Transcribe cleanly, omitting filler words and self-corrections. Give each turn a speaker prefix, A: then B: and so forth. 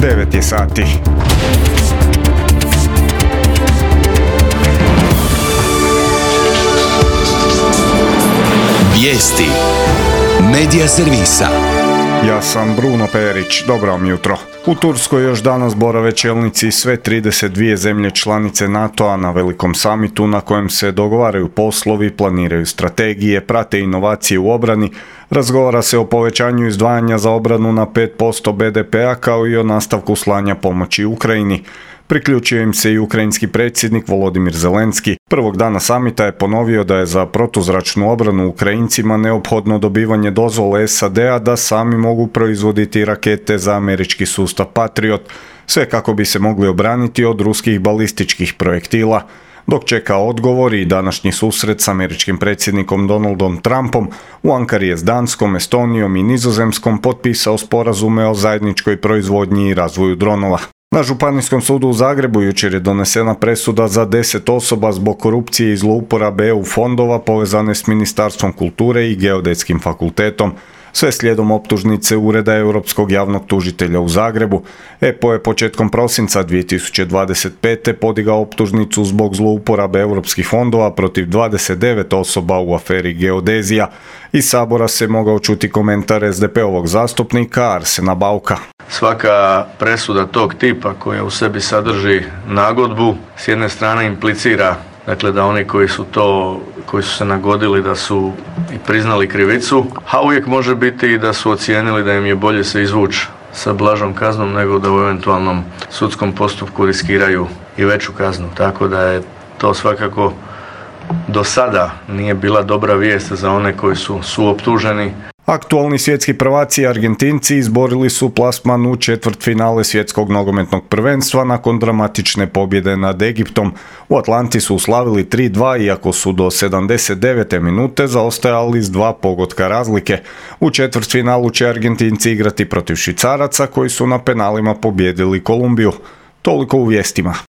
A: 9 je sati.
B: Vijesti Medija servisa.
A: Ja sam Bruno Perić, dobro vam jutro. U Turskoj još danas borave čelnici sve 32 zemlje članice NATO-a na velikom samitu na kojem se dogovaraju poslovi, planiraju strategije, prate inovacije u obrani, razgovara se o povećanju izdvajanja za obranu na 5% BDP-a kao i o nastavku slanja pomoći Ukrajini. Priključio im se i ukrajinski predsjednik Volodimir Zelenski. Prvog dana samita je ponovio da je za protuzračnu obranu Ukrajincima neophodno dobivanje dozvole SAD-a da sami mogu proizvoditi rakete za američki sustav Patriot, sve kako bi se mogli obraniti od ruskih balističkih projektila. Dok čeka odgovor i današnji susret s američkim predsjednikom Donaldom Trumpom, u Ankari je s Danskom, Estonijom i Nizozemskom potpisao sporazume o zajedničkoj proizvodnji i razvoju dronova. Na Županijskom sudu u Zagrebu jučer je donesena presuda za 10 osoba zbog korupcije i zlouporabe EU fondova povezane s Ministarstvom kulture i Geodetskim fakultetom. Sve slijedom optužnice Ureda Europskog javnog tužitelja u Zagrebu. EPO je početkom prosinca 2025. podigao optužnicu zbog zlouporabe europskih fondova protiv 29 osoba u aferi Geodezija. Iz Sabora se mogao čuti komentar SDP-ovog zastupnika Arsena Bauka.
C: Svaka presuda tog tipa koja u sebi sadrži nagodbu s jedne strane implicira da oni koji su se nagodili da su i priznali krivicu, a uvijek može biti i da su ocijenili da im je bolje se izvući sa blažom kaznom nego da u eventualnom sudskom postupku riskiraju i veću kaznu. Tako da je to svakako do sada nije bila dobra vijest za one koji su suoptuženi.
A: Aktualni svjetski prvaci Argentinci izborili su plasman u četvrtfinale svjetskog nogometnog prvenstva nakon dramatične pobjede nad Egiptom. U Atlanti su uslavili 3-2 iako su do 79. minute zaostajali s 2 pogotka razlike. U četvrtfinalu će Argentinci igrati protiv Švicaraca koji su na penalima pobijedili Kolumbiju. Toliko u vijestima.